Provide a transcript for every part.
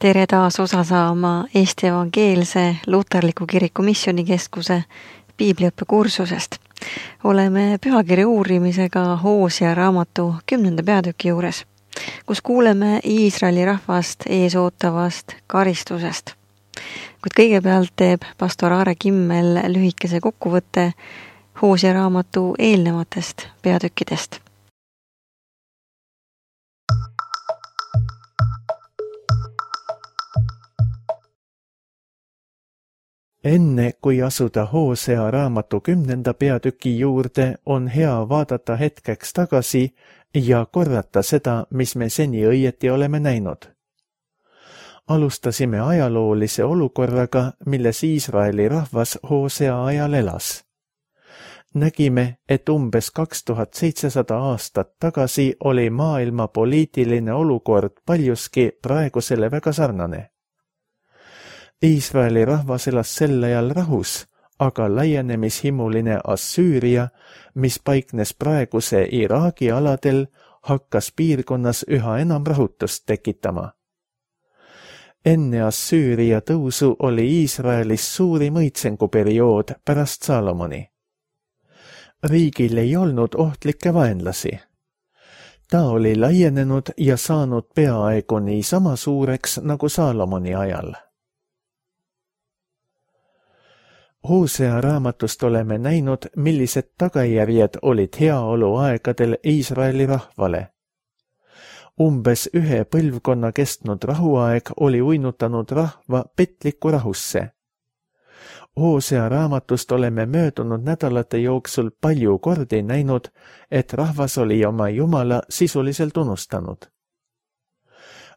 Tere taas osa saama Eesti Evangeelse Luterliku Kiriku Missioonikeskuse piibliõppekursusest. Oleme pühakirja uurimisega Hoosia raamatu 10. peatüki juures, kus kuuleme Iisraeli rahvast eesootavast karistusest. Kuid kõigepealt teeb pastor Aare Kimmel lühikese kokkuvõtte Hoosia raamatu eelnevatest peatükkidest. Enne kui asuda Hosea raamatu 10. peatüki juurde, on hea vaadata hetkeks tagasi ja korrata seda, mis me seni õieti oleme näinud. Alustasime ajaloolise olukorraga, milles Iisraeli rahvas Hosea ajal elas. Nägime, et umbes 2700 aastat tagasi oli maailma poliitiline olukord paljuski praegusele väga sarnane. Iisraeli rahvas elas sel ajal rahus, aga laienemishimuline Assüüria, mis paiknes praeguse Iraagi aladel, hakkas piirkonnas üha enam rahutust tekitama. Enne Assüüria tõusu oli Iisraelis suurim õitsenguperiood pärast Saalomoni. Riigil ei olnud ohtlikke vaenlasi. Ta oli laienenud ja saanud peaaegu nii sama suureks nagu Saalomoni ajal. Hosea raamatust oleme näinud, millised tagajärjed olid heaoluaegadel Iisraeli rahvale. Umbes 1 põlvkonna kestnud rahuaeg oli uinutanud rahva petlikku rahusse. Hosea raamatust oleme möödunud nädalate jooksul palju kordi näinud, et rahvas oli oma Jumala sisuliselt unustanud.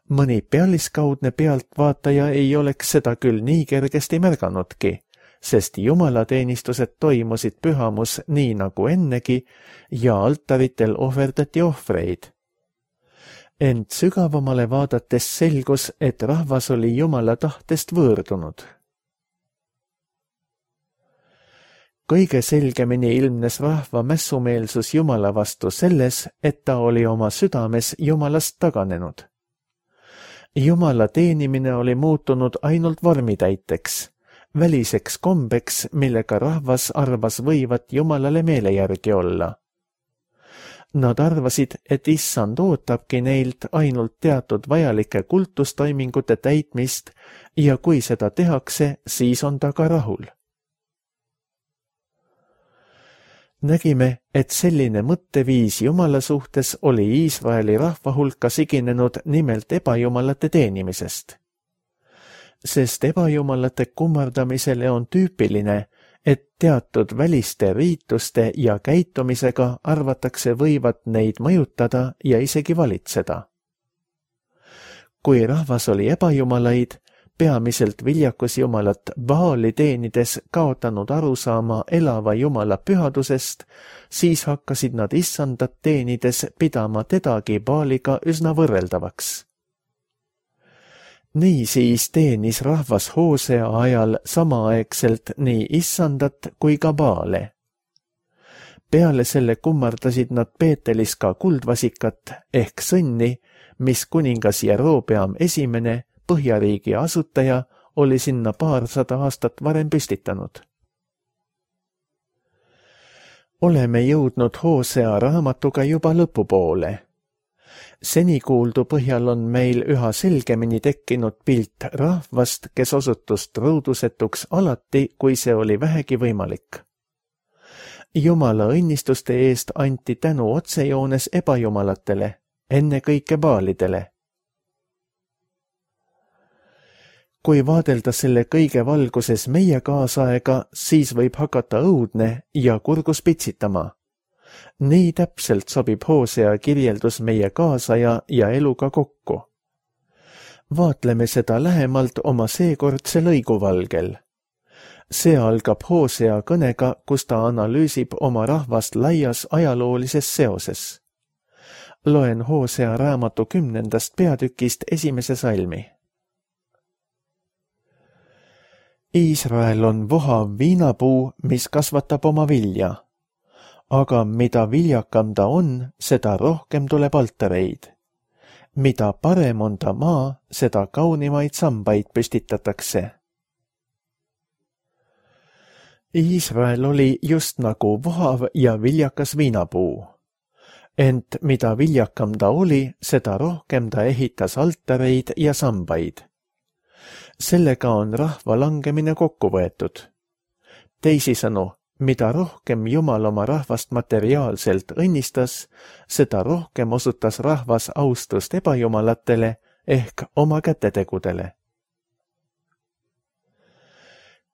Mõni pealiskaudne pealtvaataja ei oleks seda küll nii kergesti märganudki, sest jumalateenistused toimusid pühamus nii nagu ennegi ja altaritel ohverdati ohvreid. Ent sügavamale vaadates selgus, et rahvas oli Jumala tahtest võõrdunud. Kõige selgemini ilmnes rahva mässumeelsus Jumala vastu selles, et ta oli oma südames Jumalast taganenud. Jumala teenimine oli muutunud ainult vormitäiteks, väliseks kombeks, millega rahvas arvas võivat Jumalale meele järgi olla. Nad arvasid, et Issand ootabki neilt ainult teatud vajalike kultustoimingute täitmist ja kui seda tehakse, siis on ta ka rahul. Nägime, et selline mõtteviis Jumala suhtes oli Iisraeli rahva hulka siginenud nimelt ebajumalate teenimisest. Sest ebajumalate kummardamisele on tüüpiline, et teatud väliste riituste ja käitumisega arvatakse võivat neid mõjutada ja isegi valitseda. Kui rahvas oli ebajumalaid, peamiselt viljakusjumalat Baali teenides kaotanud arusaama elava Jumala pühadusest, siis hakkasid nad Issandat teenides pidama tedagi Baaliga üsna võrreldavaks. Niisiis teenis rahvas Hosea ajal samaaegselt nii Issandat kui ka Baale. Peale selle kummardasid nad Peetelis ka kuldvasikat ehk sõnni, mis kuningas Jerobeam I, Põhjariigi asutaja, oli sinna 200 aastat varem püstitanud. Oleme jõudnud Hosea raamatuga juba lõpupoole. Senikuuldu põhjal on meil üha selgemini tekkinud pilt rahvast, kes osutus truudusetuks alati, kui see oli vähegi võimalik. Jumala õnnistuste eest anti tänu otsejoones ebajumalatele, ennekõike Baalidele. Kui vaadelda selle kõige valguses meie kaasaega, siis võib hakata õudne ja kurgus pitsitama. Nii täpselt sobib Hosea kirjeldus meie kaasaja ja eluga kokku. Vaatleme seda lähemalt oma seekordse lõiguvalgel. See algab Hosea kõnega, kus ta analüüsib oma rahvast laias ajaloolises seoses. Loen Hosea raamatu 10. peatükist 1. salmi. Iisrael on vohav viinapuu, mis kasvatab oma vilja. Aga mida viljakam ta on, seda rohkem tuleb altareid. mida parem on ta maa, seda kaunimaid sambaid püstitatakse. Iisrael oli just nagu vohav ja viljakas viinapuu. Ent mida viljakam ta oli, seda rohkem ta ehitas altareid ja sambaid. Sellega on rahva langemine kokku võetud. Teisisõnu, mida rohkem Jumal oma rahvast materiaalselt õnnistas, seda rohkem osutas rahvas austust ebajumalatele ehk oma kätetegudele.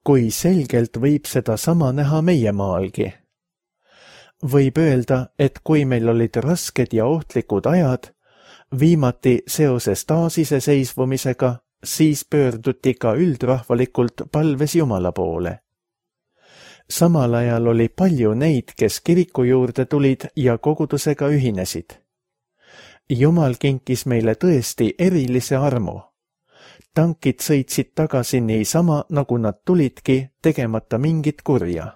Kui selgelt võib seda sama näha meie maalgi. Võib öelda, et kui meil olid rasked ja ohtlikud ajad, viimati seoses taasiseseisvumisega, siis pöörduti ka üldrahvalikult palves Jumala poole. Samal ajal oli palju neid, kes kiriku juurde tulid ja kogudusega ühinesid. Jumal kinkis meile tõesti erilise armu. Tankid sõitsid tagasi niisama, nagu nad tulidki, tegemata mingit kurja.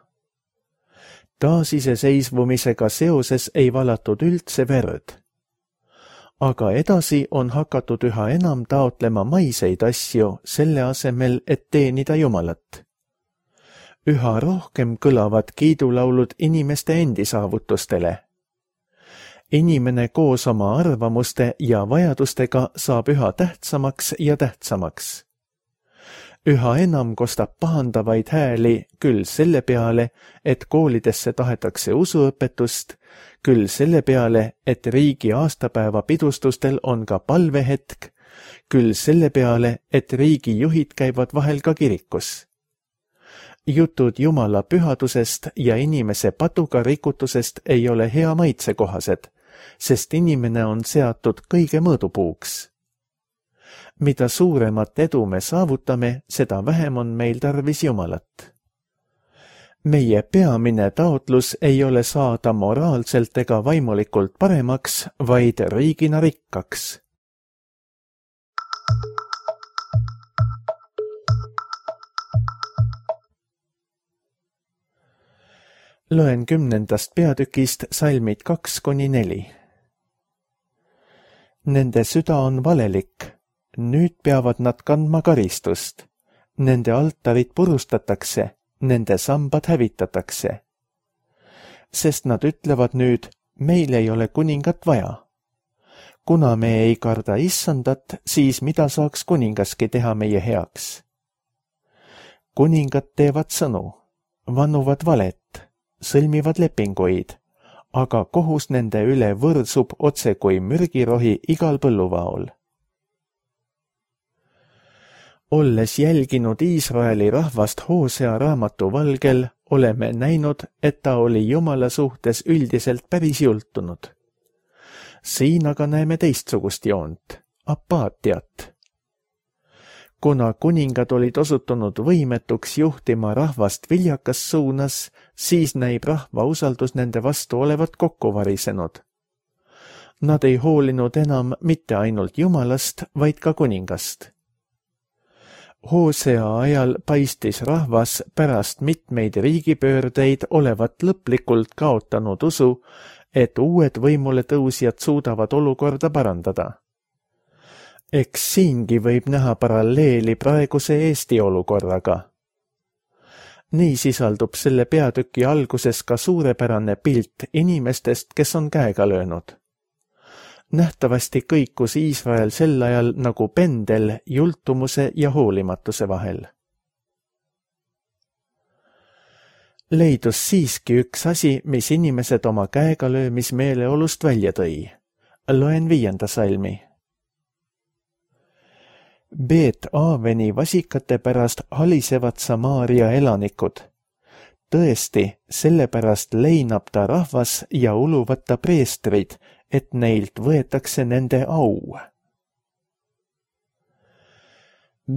Taasiseseisvumisega seoses ei valatud üldse verd. Aga edasi on hakatud üha enam taotlema maiseid asju selle asemel, et teenida Jumalat. Üha rohkem kõlavad kiidulaulud inimeste endi saavutustele. Inimene koos oma arvamuste ja vajadustega saab üha tähtsamaks ja tähtsamaks. Üha enam kostab pahandavaid hääli küll selle peale, et koolidesse tahetakse usuõpetust, küll selle peale, et riigi aastapäeva pidustustel on ka palvehetk, küll selle peale, et riigijuhid käivad vahel ka kirikus. Jutud Jumala pühadusest ja inimese patuga rikutusest ei ole hea maitse kohased, sest inimene on seatud kõige mõõdupuuks. Mida suuremat edu me saavutame, seda vähem on meil tarvis Jumalat. Meie peamine taotlus ei ole saada moraalselt ega vaimulikult paremaks, vaid riigina rikkaks. Loen 10. peatükist salmid 2-4. Nende süda on valelik, nüüd peavad nad kandma karistust. Nende altarid purustatakse, nende sambad hävitatakse. Sest nad ütlevad nüüd, meil ei ole kuningat vaja. Kuna me ei karda issandat, siis mida saaks kuningaski teha meie heaks? Kuningad teevad sõnu, vannuvad valet, sõlmivad lepinguid, aga kohus nende üle võrsub otse kui mürgirohi igal põlluvaol. Olles jälginud Iisraeli rahvast Hoosea raamatu valgel, oleme näinud, et ta oli Jumala suhtes üldiselt päris jultunud. Siin aga näeme teistsugust joont, apaatiat. Kuna kuningad olid osutunud võimetuks juhtima rahvast viljakas suunas, siis näib rahva usaldus nende vastu olevat kokku varisenud. Nad ei hoolinud enam mitte ainult Jumalast, vaid ka kuningast. Hoosea ajal paistis rahvas pärast mitmeid riigipöördeid olevat lõplikult kaotanud usu, et uued võimule tõusjad suudavad olukorda parandada. Eks siingi võib näha paralleeli praeguse Eesti olukorraga. Nii sisaldub selle peatüki alguses ka suurepärane pilt inimestest, kes on käega löönud. Nähtavasti kõikus Iisrael sel ajal nagu pendel jultumuse ja hoolimatuse vahel. Leidus siiski üks asi, mis inimesed oma käega löömismeeleolust välja tõi. Loen 5. salmi. Beet-Aaveni vasikate pärast halisevad Samaaria elanikud. Tõesti, sellepärast leinab ta rahvas ja uluvad ta preestrid, et neilt võetakse nende au.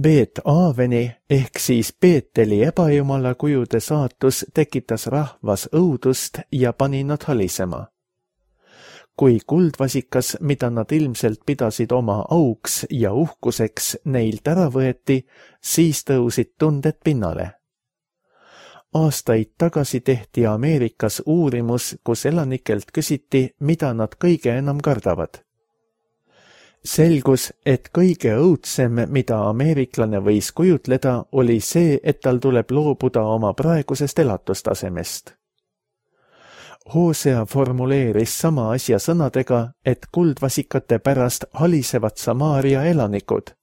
Beet-Aaveni ehk siis Beeteli ebajumala kujude saatus tekitas rahvas õudust ja pani nad halisema. Kui kuldvasikas, mida nad ilmselt pidasid oma auks ja uhkuseks, neilt ära võeti, siis tõusid tunded pinnale. Aastaid tagasi tehti Ameerikas uurimus, kus elanikelt küsiti, mida nad kõige enam kardavad. Selgus, et kõige õudsem, mida ameeriklane võis kujutleda, oli see, et tal tuleb loobuda oma praegusest elatustasemest. Hosea formuleeris sama asja sõnadega, et kuldvasikate pärast halisevad Samaaria elanikud,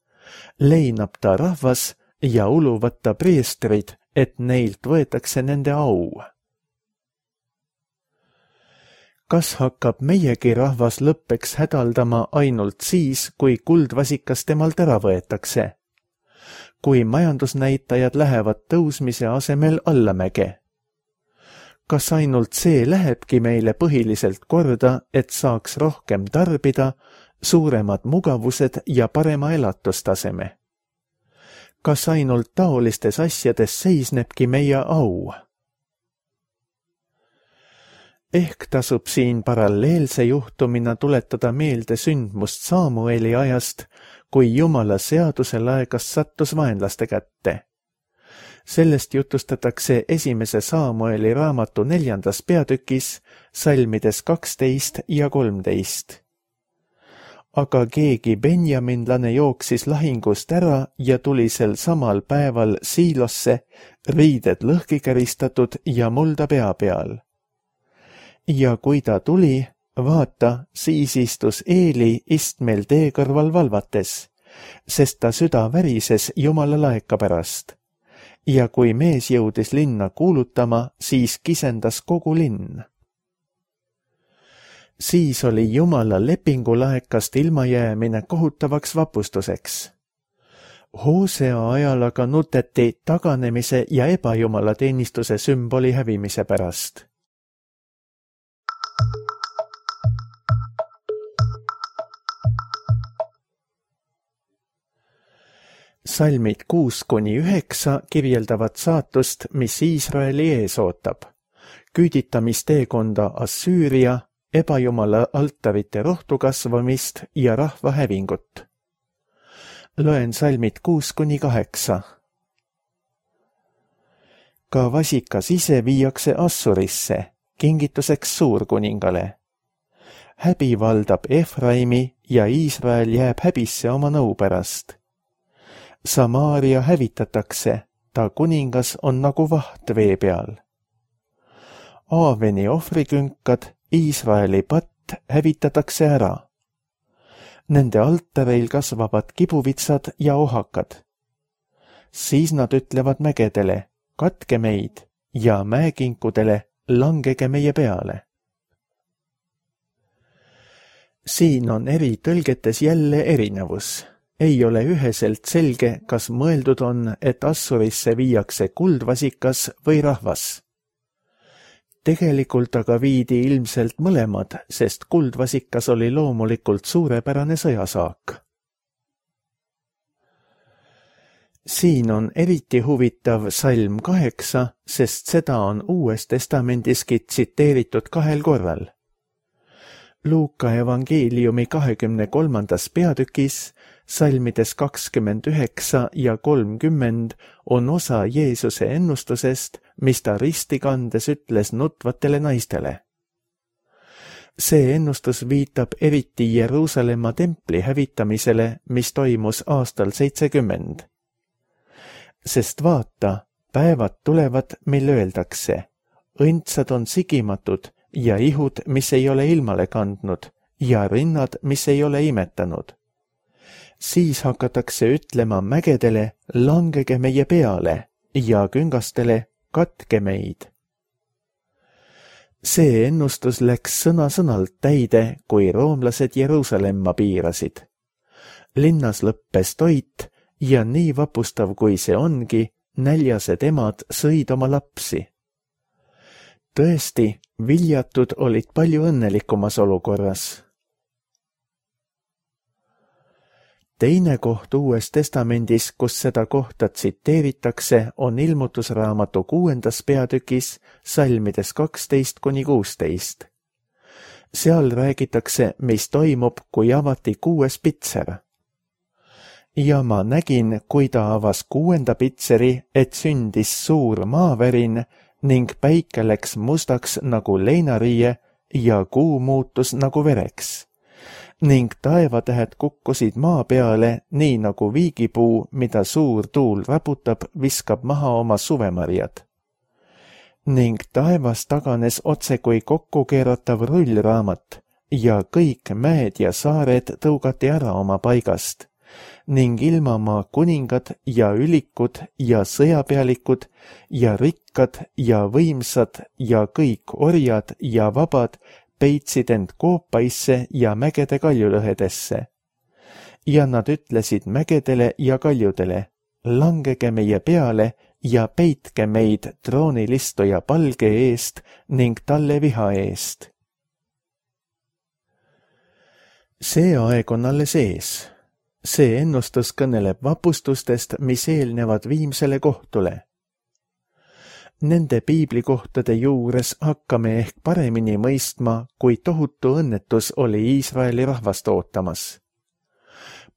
leinab ta rahvas ja uluvad ta preestrid, et neilt võetakse nende au. Kas hakkab meiegi rahvas lõppeks hädaldama ainult siis, kui kuldvasikas temalt ära võetakse? Kui majandusnäitajad lähevad tõusmise asemel allamäge? Kas ainult see lähebki meile põhiliselt korda, et saaks rohkem tarbida, suuremad mugavused ja parema elatustaseme? Kas ainult taolistes asjades seisnebki meie au? Ehk tasub siin paralleelse juhtumina tuletada meelde sündmust Saamueli ajast, kui Jumala seaduse laegas sattus vaenlaste kätte. Sellest jutustatakse 1. Saamueli raamatu 4. peatükis, salmides 12 ja 13. Aga keegi benjaminlane jooksis lahingust ära ja tuli sel samal päeval Siilosse, riided lõhki käristatud ja mulda pea peal. Ja kui ta tuli, vaata, siis istus Eeli istmel tee kõrval valvates, sest ta süda värises Jumala laeka pärast. Ja kui mees jõudis linna kuulutama, siis kisendas kogu linn. Siis oli Jumala lepingulaekast ilmajäämine kohutavaks vapustuseks. Hosea ajal aga nuteti taganemise ja ebajumala teenistuse sümboli hävimise pärast. Salmid 6-9 kirjeldavad saatust, mis Iisraeli ees ootab. Küüditamisteekonda Assüüria, ebajumala altarite rohtu kasvamist ja rahva hävingut. Loen salmid 6-8. Ka vasikas ise viiakse Assurisse, kingituseks suurkuningale. Häbi valdab Efraimi ja Iisrael jääb häbisse oma nõu pärast. Samaaria hävitatakse, ta kuningas on nagu vaht vee peal. Aaveni ohvrikünkad, Iisraeli patt hävitatakse ära. Nende altareil kasvavad kibuvitsad ja ohakad. Siis nad ütlevad mägedele, katke meid, ja mäekinkudele, langege meie peale. Siin on eri tõlgetes jälle erinevus. Ei ole üheselt selge, kas mõeldud on, et Assurisse viiakse kuldvasikas või rahvas. Tegelikult aga viidi ilmselt mõlemad, sest kuldvasikas oli loomulikult suurepärane sõjasaak. Siin on eriti huvitav salm 8, sest seda on Uues Testamendiski tsiteeritud 2 korral. Luuka evangeeliumi 23. peatükis, salmides 29 ja 30 on osa Jeesuse ennustusest, mis ta risti kandes ütles nutvatele naistele. See ennustus viitab eriti Jeruusalemma templi hävitamisele, mis toimus aastal 70. Sest vaata, päevad tulevad, mil öeldakse, õndsad on sigimatud ja ihud, mis ei ole ilmale kandnud, ja rinnad, mis ei ole imetanud. Siis hakatakse ütlema mägedele, langege meie peale, ja küngastele, katke meid. See ennustus läks sõna-sõnalt täide, kui roomlased Jeruusalemma piirasid. Linnas lõppes toit ja nii vapustav kui see ongi, näljased emad sõid oma lapsi. Tõesti, viljatud olid palju õnnelikumas olukorras. Teine koht Uues Testamendis, kus seda kohta tsiteeritakse, on Ilmutusraamatu 6. peatükis, salmides 12-16. Seal räägitakse, mis toimub, kui avati 6. pitser. Ja ma nägin, kui ta avas 6. pitseri, et sündis suur maavärin ning päike läks mustaks nagu leinariie ja kuu muutus nagu vereks. ning taevatähed kukkusid maa peale, nii nagu viigipuu, mida suur tuul raputab, viskab maha oma suvemarjad. Ning taevas taganes otse kui kokkukeeratav rullraamat ja kõik mäed ja saared tõugati ära oma paigast ning ilmamaa kuningad ja ülikud ja sõjapealikud ja rikkad ja võimsad ja kõik orjad ja vabad peitsid end koopaisse ja mägede kaljulõhedesse. Ja nad ütlesid mägedele ja kaljudele, langege meie peale ja peitke meid troonilistuja palge eest ning talle viha eest. See aeg on alles ees. See ennustus kõneleb vapustustest, mis eelnevad viimsele kohtule. Nende piiblikohtade juures hakkame ehk paremini mõistma, kui tohutu õnnetus oli Iisraeli rahvast ootamas.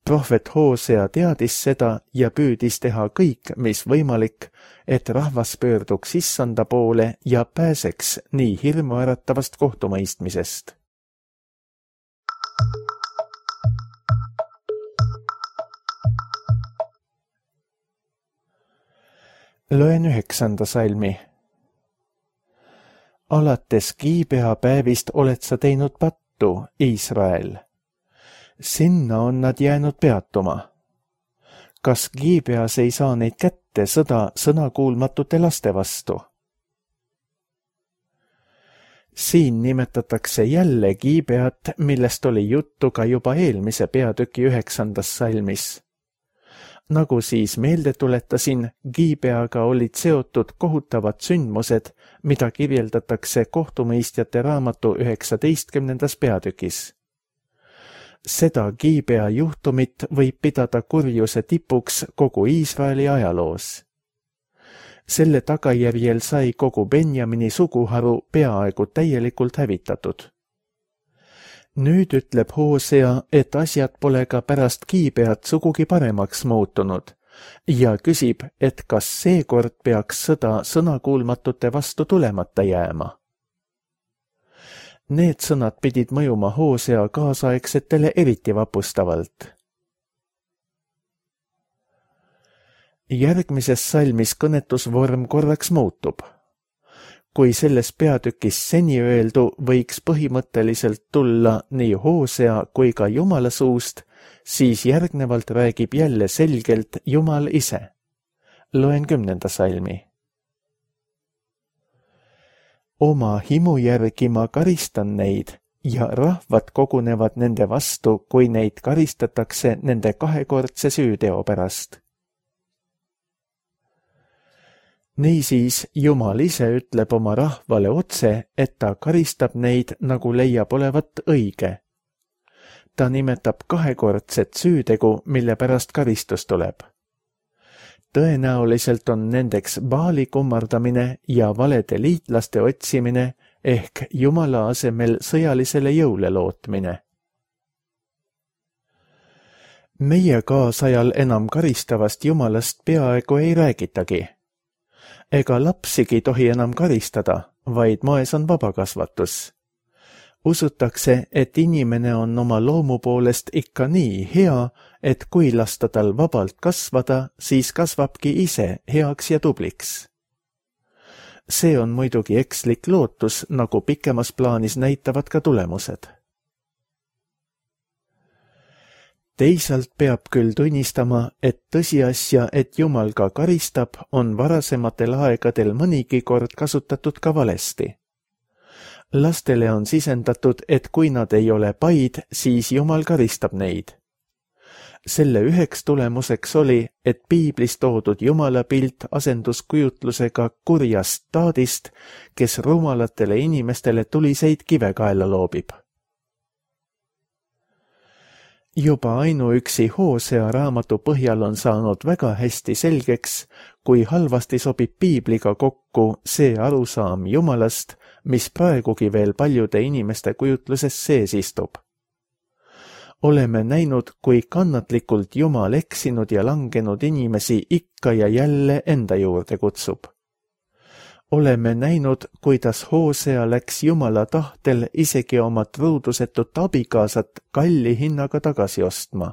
Prohvet Hoosea teadis seda ja püüdis teha kõik, mis võimalik, et rahvas pöörduks issanda poole ja pääseks nii hirmuäratavast kohtumõistmisest. Loen 9. salmi. Alates Giibea päevist oled sa teinud pattu, Iisrael. Sinna on nad jäänud peatuma. Kas Giibeas ei saa neid kätte sõda sõnakuulmatute laste vastu? Siin nimetatakse jälle Giibeat, millest oli juttu ka juba eelmise peatüki 9. salmis. Nagu siis meelde tuletasin, Giibeaga olid seotud kohutavad sündmused, mida kirjeldatakse kohtumõistjate raamatu 19. peatükis. Seda Giibea juhtumit võib pidada kurjuse tipuks kogu Iisraeli ajaloos. Selle tagajärjel sai kogu Benjamini suguharu peaaegu täielikult hävitatud. Nüüd ütleb Hoosea, et asjad pole ka pärast Giibeat sugugi paremaks muutunud ja küsib, et kas seekord peaks sõda sõnakuulmatute vastu tulemata jääma. Need sõnad pidid mõjuma Hoosea kaasaegsetele eriti vapustavalt. Järgmises salmis kõnetusvorm korraks muutub. Kui selles peatükis seni öeldu võiks põhimõtteliselt tulla nii Hoosea kui ka Jumala suust, siis järgnevalt räägib jälle selgelt Jumal ise. Loen 10. salmi. Oma himu järgi ma karistan neid ja rahvad kogunevad nende vastu, kui neid karistatakse nende kahekordse süüteo pärast. Niisiis Jumal ise ütleb oma rahvale otse, et ta karistab neid, nagu leiab olevat õige. Ta nimetab kahekordset süütegu, mille pärast karistus tuleb. Tõenäoliselt on nendeks Baali kummardamine ja valede liitlaste otsimine ehk Jumala asemel sõjalisele jõule lootmine. Meie kaasajal enam karistavast Jumalast peaaegu ei räägitagi. Ega lapsigi tohi enam karistada, vaid moes on vabakasvatus. Usutakse, et inimene on oma loomu poolest ikka nii hea, et kui lasta tal vabalt kasvada, siis kasvabki ise heaks ja tubliks. See on muidugi ekslik lootus, nagu pikemas plaanis näitavad ka tulemused. Teisalt peab küll tunnistama, et tõsiasja, et Jumal ka karistab, on varasematel aegadel mõnigi kord kasutatud ka valesti. Lastele on sisendatud, et kui nad ei ole paid, siis Jumal karistab neid. Selle üheks tulemuseks oli, et piiblis toodud Jumala pilt asenduskujutlusega kurjast taadist, kes rumalatele inimestele tuliseid kive kaela loobib. Juba ainuüksi Hoosea raamatu põhjal on saanud väga hästi selgeks, kui halvasti sobib piibliga kokku see arusaam Jumalast, mis praegugi veel paljude inimeste kujutluses sees istub. Oleme näinud, kui kannatlikult Jumal eksinud ja langenud inimesi ikka ja jälle enda juurde kutsub. oleme näinud, kuidas Hosea läks Jumala tahtel isegi oma truudusetut abikaasat kalli hinnaga tagasi ostma.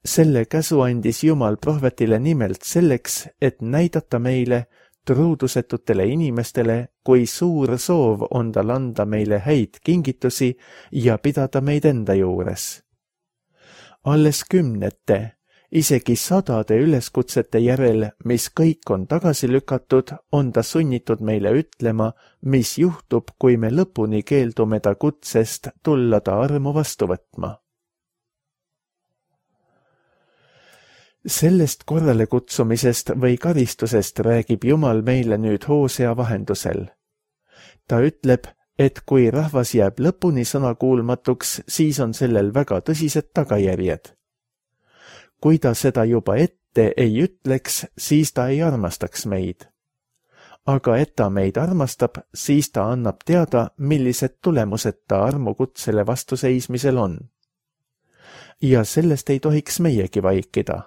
Selle käsu andis Jumal prohvetile nimelt selleks, et näidata meile, truudusetutele inimestele, kui suur soov on tal anda meile häid kingitusi ja pidada meid enda juures. Alles kümnete, isegi sadade üleskutsete järel, mis kõik on tagasi lükatud, on ta sunnitud meile ütlema, mis juhtub, kui me lõpuni keeldume ta kutsest tulla ta armu vastu võtma. Sellest korralekutsumisest või karistusest räägib Jumal meile nüüd Hosea vahendusel. Ta ütleb, et kui rahvas jääb lõpuni sõnakuulmatuks, siis on sellel väga tõsised tagajärjed. Kui ta seda juba ette ei ütleks, siis ta ei armastaks meid. Aga et ta meid armastab, siis ta annab teada, millised tulemused ta armukutsele vastuseismisel on. Ja sellest ei tohiks meiegi vaikida.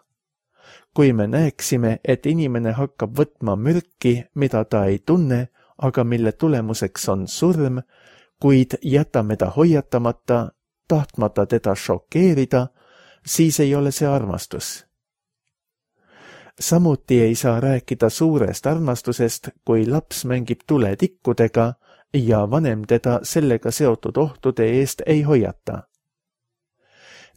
Kui me näeksime, et inimene hakkab võtma mürki, mida ta ei tunne, aga mille tulemuseks on surm, kuid jätame ta hoiatamata, tahtmata teda šokeerida, siis ei ole see armastus. Samuti ei saa rääkida suurest armastusest, kui laps mängib tuletikkudega ja vanem teda sellega seotud ohtude eest ei hoiata.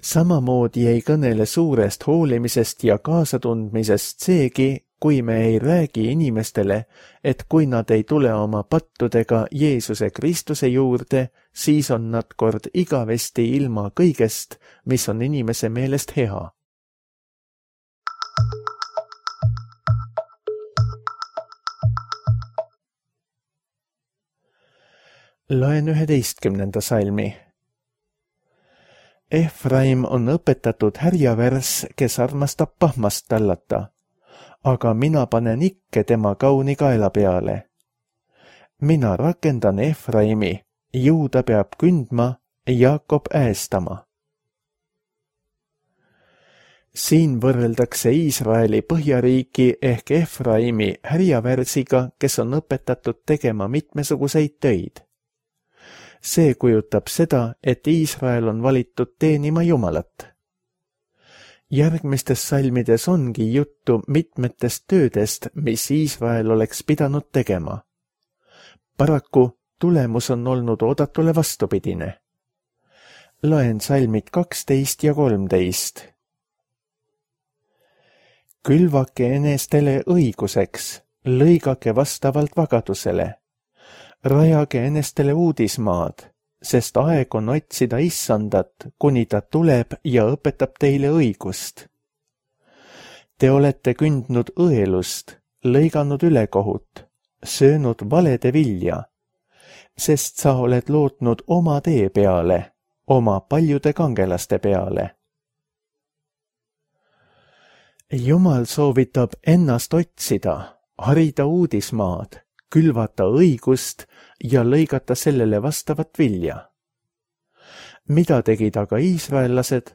Samamoodi ei kõnele suurest hoolimisest ja kaasatundmisest seegi, kui me ei räägi inimestele, et kui nad ei tule oma pattudega Jeesuse Kristuse juurde, siis on nad kord igavesti ilma kõigest, mis on inimese meelest hea. Loen 11. salmi. Efraim on õpetatud härjavärs, kes armastab pahmast tallata, aga mina panen ikke tema kauni kaela peale. Mina rakendan Efraimi, Juuda peab kündma, Jaakob äästama. Siin võrreldakse Iisraeli põhjariiki ehk Efraimi härjavärsiga, kes on õpetatud tegema mitmesuguseid töid. See kujutab seda, et Iisrael on valitud teenima Jumalat. Järgmistes salmides ongi juttu mitmetest töödest, mis Iisrael oleks pidanud tegema. Paraku tulemus on olnud oodatule vastupidine. Loen salmid 12 ja 13. Külvake enestele õiguseks, lõigake vastavalt vagadusele. Rajage enestele uudismaad, sest aeg on otsida issandat, kuni ta tuleb ja õpetab teile õigust. Te olete kündnud õelust, lõiganud ülekohut, söönud valede vilja, sest sa oled lootnud oma tee peale, oma paljude kangelaste peale. Jumal soovitab ennast otsida, harida uudismaad, külvata õigust ja lõigata sellele vastavat vilja. Mida tegid aga iisraellased?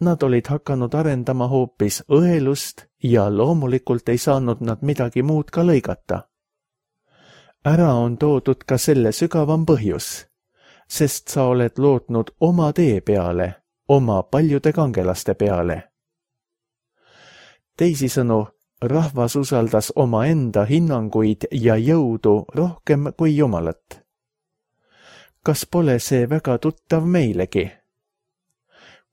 Nad olid hakanud arendama hoopis õelust ja loomulikult ei saanud nad midagi muud ka lõigata. Ära on toodud ka selle sügavam põhjus, sest sa oled lootnud oma tee peale, oma paljude kangelaste peale. Teisisõnu, rahvas usaldas omaenda hinnanguid ja jõudu rohkem kui Jumalat. Kas pole see väga tuttav meilegi?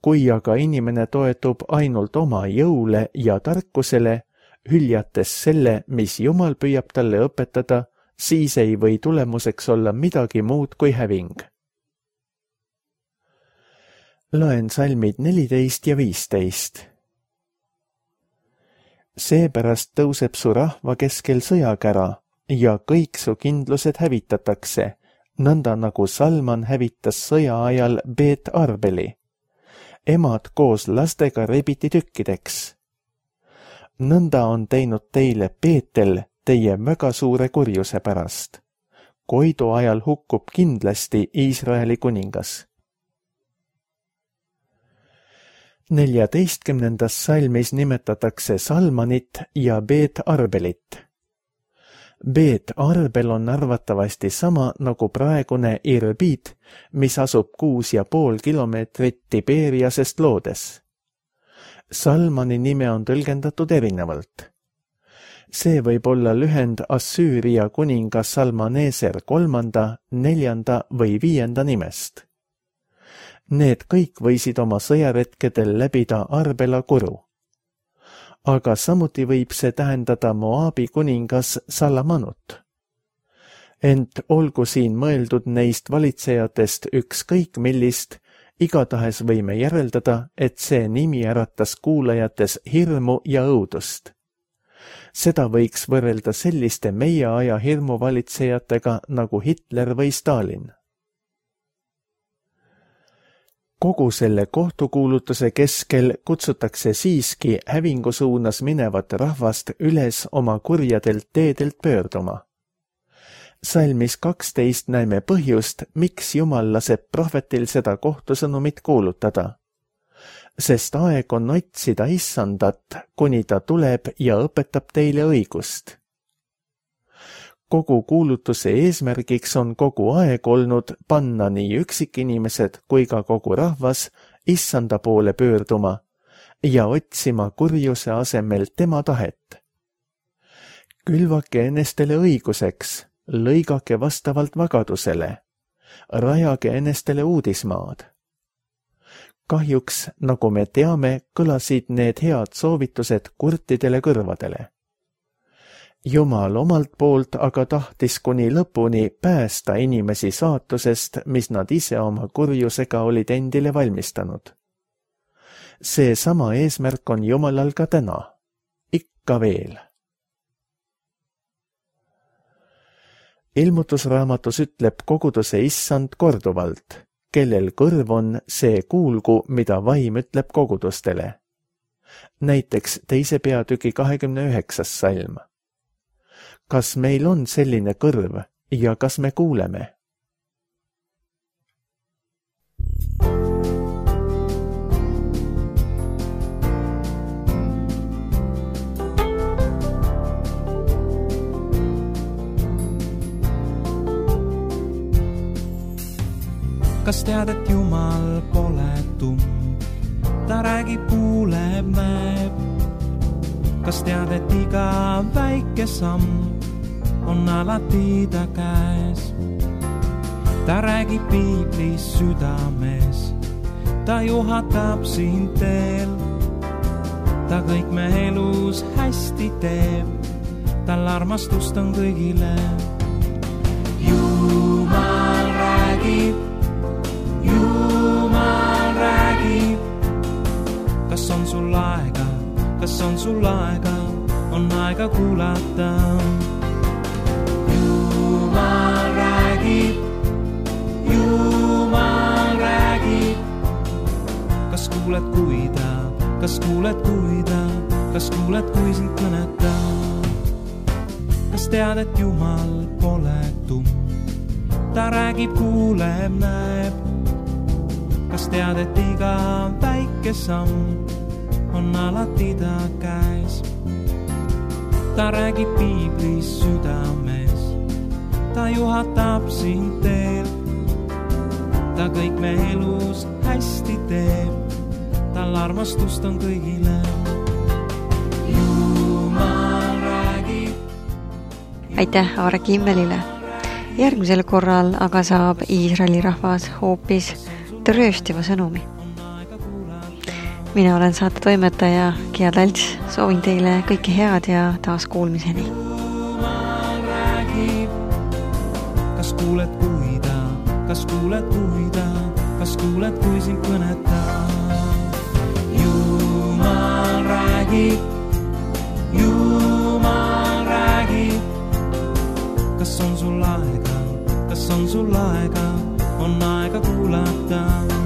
Kui aga inimene toetub ainult oma jõule ja tarkusele, hüljates selle, mis Jumal püüab talle õpetada, siis ei või tulemuseks olla midagi muud kui häving. Loen salmid 14 ja 15. Seepärast tõuseb su rahva keskel sõjakära ja kõik su kindlused hävitatakse, nõnda nagu Salman hävitas sõja ajal Beet Arbeli. Emad koos lastega rebiti tükkideks. Nõnda on teinud teile Beetel teie väga suure kurjuse pärast. Koidu ajal hukkub kindlasti Iisraeli kuningas. 14. salmis nimetatakse Salmanit ja Beet Arbelit. Beet Arbel on arvatavasti sama nagu praegune Irbid, mis asub 6,5 kilomeetrit Tiberiasest loodes. Salmani nime on tõlgendatud erinevalt. See võib olla lühend Assüüria kuninga Salmaneser 3., 4. või 5. nimest. Need kõik võisid oma sõjaretkedel läbida Arbela kuru. Aga samuti võib see tähendada Moabi kuningas Salamanut. Ent olgu siin mõeldud neist valitsejatest ükskõik millist, igatahes võime järeldada, et see nimi äratas kuulajates hirmu ja õudust. Seda võiks võrrelda selliste meie aja hirmuvalitsejatega nagu Hitler või Stalin. Kogu selle kohtukuulutuse keskel kutsutakse siiski hävingu suunas minevat rahvast üles oma kurjadelt teedelt pöörduma. Salmis 12 näeme põhjust, miks Jumal laseb prohvetil seda kohtusõnumit kuulutada. Sest aeg on otsida Issandat, kuni ta tuleb ja õpetab teile õigust. Kogu kuulutuse eesmärgiks on kogu aeg olnud panna nii üksikinimesed kui ka kogu rahvas Issanda poole pöörduma ja otsima kurjuse asemel tema tahet. Külvake enestele õiguseks, lõigake vastavalt vagadusele, rajage enestele uudismaad. Kahjuks, nagu me teame, kõlasid need head soovitused kurtidele kõrvadele. Jumal omalt poolt aga tahtis kuni lõpuni päästa inimesi saatusest, mis nad ise oma kurjusega olid endile valmistanud. See sama eesmärk on Jumalal ka täna. Ikka veel. Ilmutusraamatus ütleb koguduse Issand korduvalt, kellel kõrv on, see kuulgu, mida vaim ütleb kogudustele. Näiteks 2. peatüki 29. salm. Kas meil on selline kõrv ja kas me kuuleme? Kas tead, et Jumal pole tumm, ta räägib, kuuleb, näeb. Kas tead, et iga väike samm on alati ta käes. Ta räägib piiblis südames, ta juhatab sind teel. Ta kõik me elus hästi teeb, tal armastust on kõigile. Jumal räägib, Jumal räägib. Kas on sul aega, kas on sul aega, on aega kuulata. Jumal räägib, Jumal räägib. Kas kuuled, kui sind kõnetab? Kas tead, et Jumal pole tumm, ta räägib, kuuleb, näeb. Kas tead, et iga väike samm on alati ta käes. Ta räägib piiblis südames, ta juhatab sind teel. Ta kõik me elus hästi teeb, tal armastust on kõigile. Jumal räägib. Aitäh Aare Kimmelile. Järgmisel korral aga saab Iisraeli rahvas hoopis rööstiva sõnumi. Mina olen saate toimetaja Gia Talts, soovin teile kõike head ja taas kuulmiseni. Kas kuuled, kui sind kõnetab? Jumal räägib, Jumal räägib. Kas on sul aega, on aega kuulata.